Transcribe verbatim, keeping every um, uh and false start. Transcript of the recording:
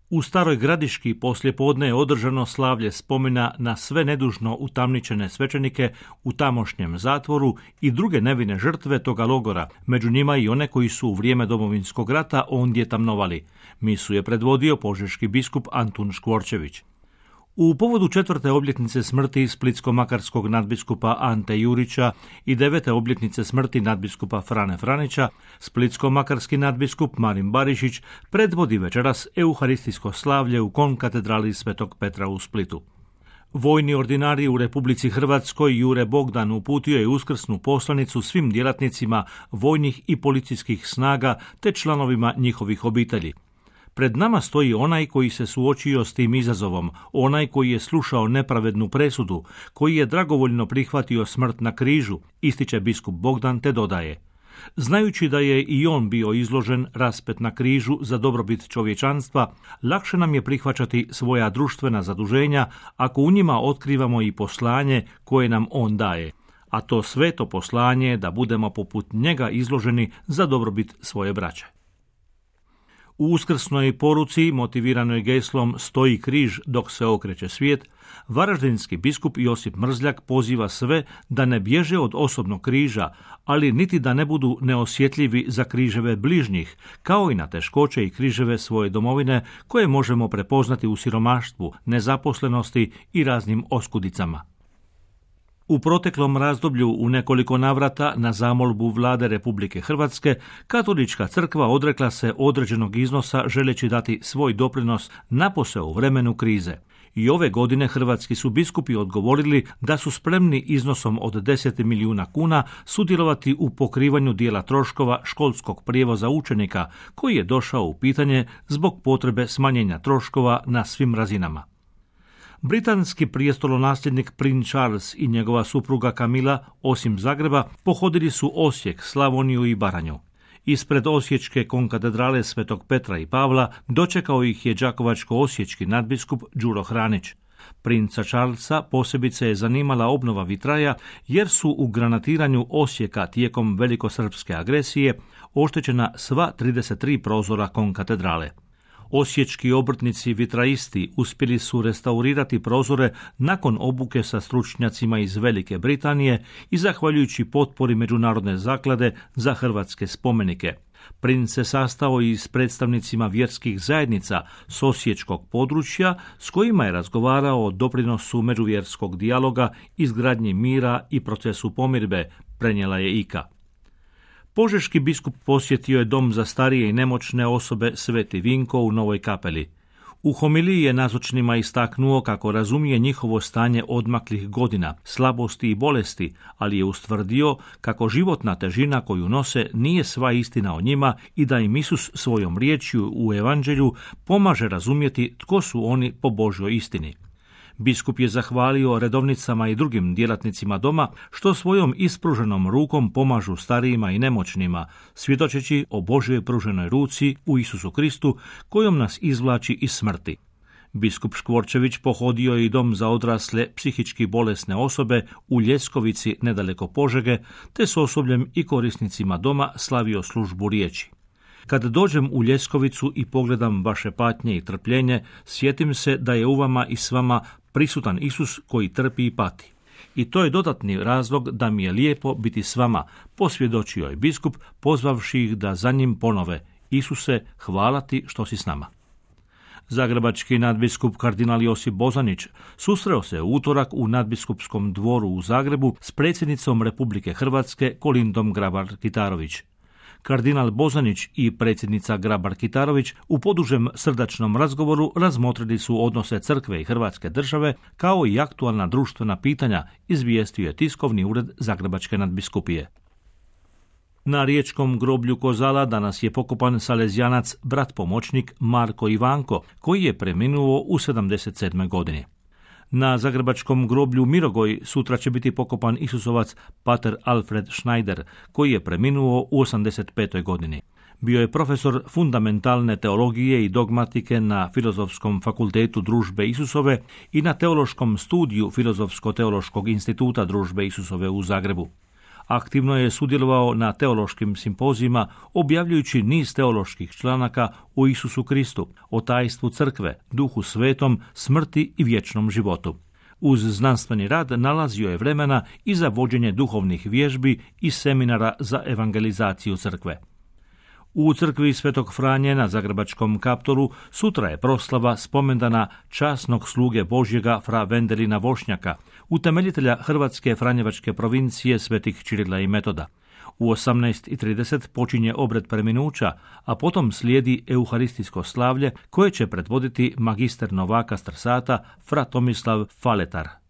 U Staroj Gradiški poslijepodne je održano slavlje spomena na sve nedužno utamničene svećenike u tamošnjem zatvoru i druge nevine žrtve toga logora, među njima i one koji su u vrijeme Domovinskog rata ondje tamnovali. Misu je predvodio požeški biskup Antun Škvorčević. U povodu četvrte obljetnice smrti splitsko-makarskog nadbiskupa Ante Jurića i devete obljetnice smrti nadbiskupa Frane Franića, splitsko-makarski nadbiskup Marin Barišić predvodi večeras euharistijsko slavlje u konkatedrali Svetog Petra u Splitu. Vojni ordinarij u Republici Hrvatskoj Jure Bogdan uputio je uskrsnu poslanicu svim djelatnicima vojnih i policijskih snaga te članovima njihovih obitelji. Pred nama stoji onaj koji se suočio s tim izazovom, onaj koji je slušao nepravednu presudu, koji je dragovoljno prihvatio smrt na križu, ističe biskup Bogdan te dodaje. Znajući da je i on bio izložen raspet na križu za dobrobit čovječanstva, lakše nam je prihvaćati svoja društvena zaduženja ako u njima otkrivamo i poslanje koje nam on daje, a to sveto poslanje je da budemo poput njega izloženi za dobrobit svoje braće. U uskrsnoj poruci, motiviranoj geslom Stoji križ dok se okreće svijet, varaždinski biskup Josip Mrzljak poziva sve da ne bježe od osobnog križa, ali niti da ne budu neosjetljivi za križeve bližnjih, kao i na teškoće i križeve svoje domovine koje možemo prepoznati u siromaštvu, nezaposlenosti i raznim oskudicama. U proteklom razdoblju u nekoliko navrata na zamolbu Vlade Republike Hrvatske Katolička crkva odrekla se određenog iznosa želeći dati svoj doprinos napose u vremenu krize. I ove godine hrvatski su biskupi odgovorili da su spremni iznosom od deset milijuna kuna sudjelovati u pokrivanju dijela troškova školskog prijevoza učenika koji je došao u pitanje zbog potrebe smanjenja troškova na svim razinama. Britanski prijestolonasljednik princ Charles i njegova supruga Kamila, osim Zagreba, pohodili su Osijek, Slavoniju i Baranju. Ispred osječke konkatedrale Svetog Petra i Pavla dočekao ih je đakovačko-osječki nadbiskup Đuro Hranić. Princa Charlesa posebice je zanimala obnova vitraja jer su u granatiranju Osijeka tijekom velikosrpske agresije oštećena sva trideset tri prozora konkatedrale. Osječki obrtnici vitraisti uspjeli su restaurirati prozore nakon obuke sa stručnjacima iz Velike Britanije i zahvaljujući potpori Međunarodne zaklade za hrvatske spomenike. Princ se sastao i s predstavnicima vjerskih zajednica s osječkog područja s kojima je razgovarao o doprinosu međuvjerskog dijaloga, izgradnji mira i procesu pomirbe, prenijela je I K A. Požeški biskup posjetio je dom za starije i nemoćne osobe Sveti Vinko u Novoj Kapeli. U homiliji je nazočnima istaknuo kako razumije njihovo stanje odmaklih godina, slabosti i bolesti, ali je ustvrdio kako životna težina koju nose nije sva istina o njima i da im Isus svojom riječju u evanđelju pomaže razumjeti tko su oni po Božjoj istini. Biskup je zahvalio redovnicama i drugim djelatnicima doma što svojom ispruženom rukom pomažu starijima i nemoćnima, svjedočeći o Božjoj pruženoj ruci u Isusu Kristu kojom nas izvlači iz smrti. Biskup Škvorčević pohodio je i dom za odrasle psihički bolesne osobe u Ljeskovici nedaleko Požege, te s osobljem i korisnicima doma slavio službu riječi. Kad dođem u Ljeskovicu i pogledam vaše patnje i trpljenje, sjetim se da je u vama i s vama prisutan Isus koji trpi i pati. I to je dodatni razlog da mi je lijepo biti s vama, posvjedočio je biskup, pozvavši ih da za njim ponove: Isuse, hvala ti što si s nama. Zagrebački nadbiskup kardinal Josip Bozanić susreo se u utorak u nadbiskupskom dvoru u Zagrebu s predsjednicom Republike Hrvatske Kolindom Grabar-Kitarović. Kardinal Bozanić i predsjednica Grabar-Kitarović u podužem srdačnom razgovoru razmotrili su odnose crkve i Hrvatske države kao i aktualna društvena pitanja, izvijestio je tiskovni ured Zagrebačke nadbiskupije. Na riječkom groblju Kozala danas je pokopan salezijanac brat pomoćnik Marko Ivanko, koji je preminuo u sedamdeset sedmoj godini. Na zagrebačkom groblju Mirogoj sutra će biti pokopan Isusovac pater Alfred Schneider, koji je preminuo u osamdeset petoj godini. Bio je profesor fundamentalne teologije i dogmatike na Filozofskom fakultetu Družbe Isusove i na teološkom studiju Filozofsko-teološkog instituta Družbe Isusove u Zagrebu. Aktivno je sudjelovao na teološkim simpozijima, objavljujući niz teoloških članaka o Isusu Kristu, o tajstvu crkve, duhu svetom, smrti i vječnom životu. Uz znanstveni rad nalazio je vremena i za vođenje duhovnih vježbi i seminara za evangelizaciju crkve. U crkvi Svetog Franje na Zagrebačkom Kaptolu sutra je proslava spomendana časnog sluge Božjega fra Vendelina Vošnjaka, utemeljitelja Hrvatske franjevačke provincije Svetih Čirila i Metoda. U osamnaest i trideset počinje obred preminuća, a potom slijedi euharistijsko slavlje koje će predvoditi magister novaka Strsata fra Tomislav Faletar.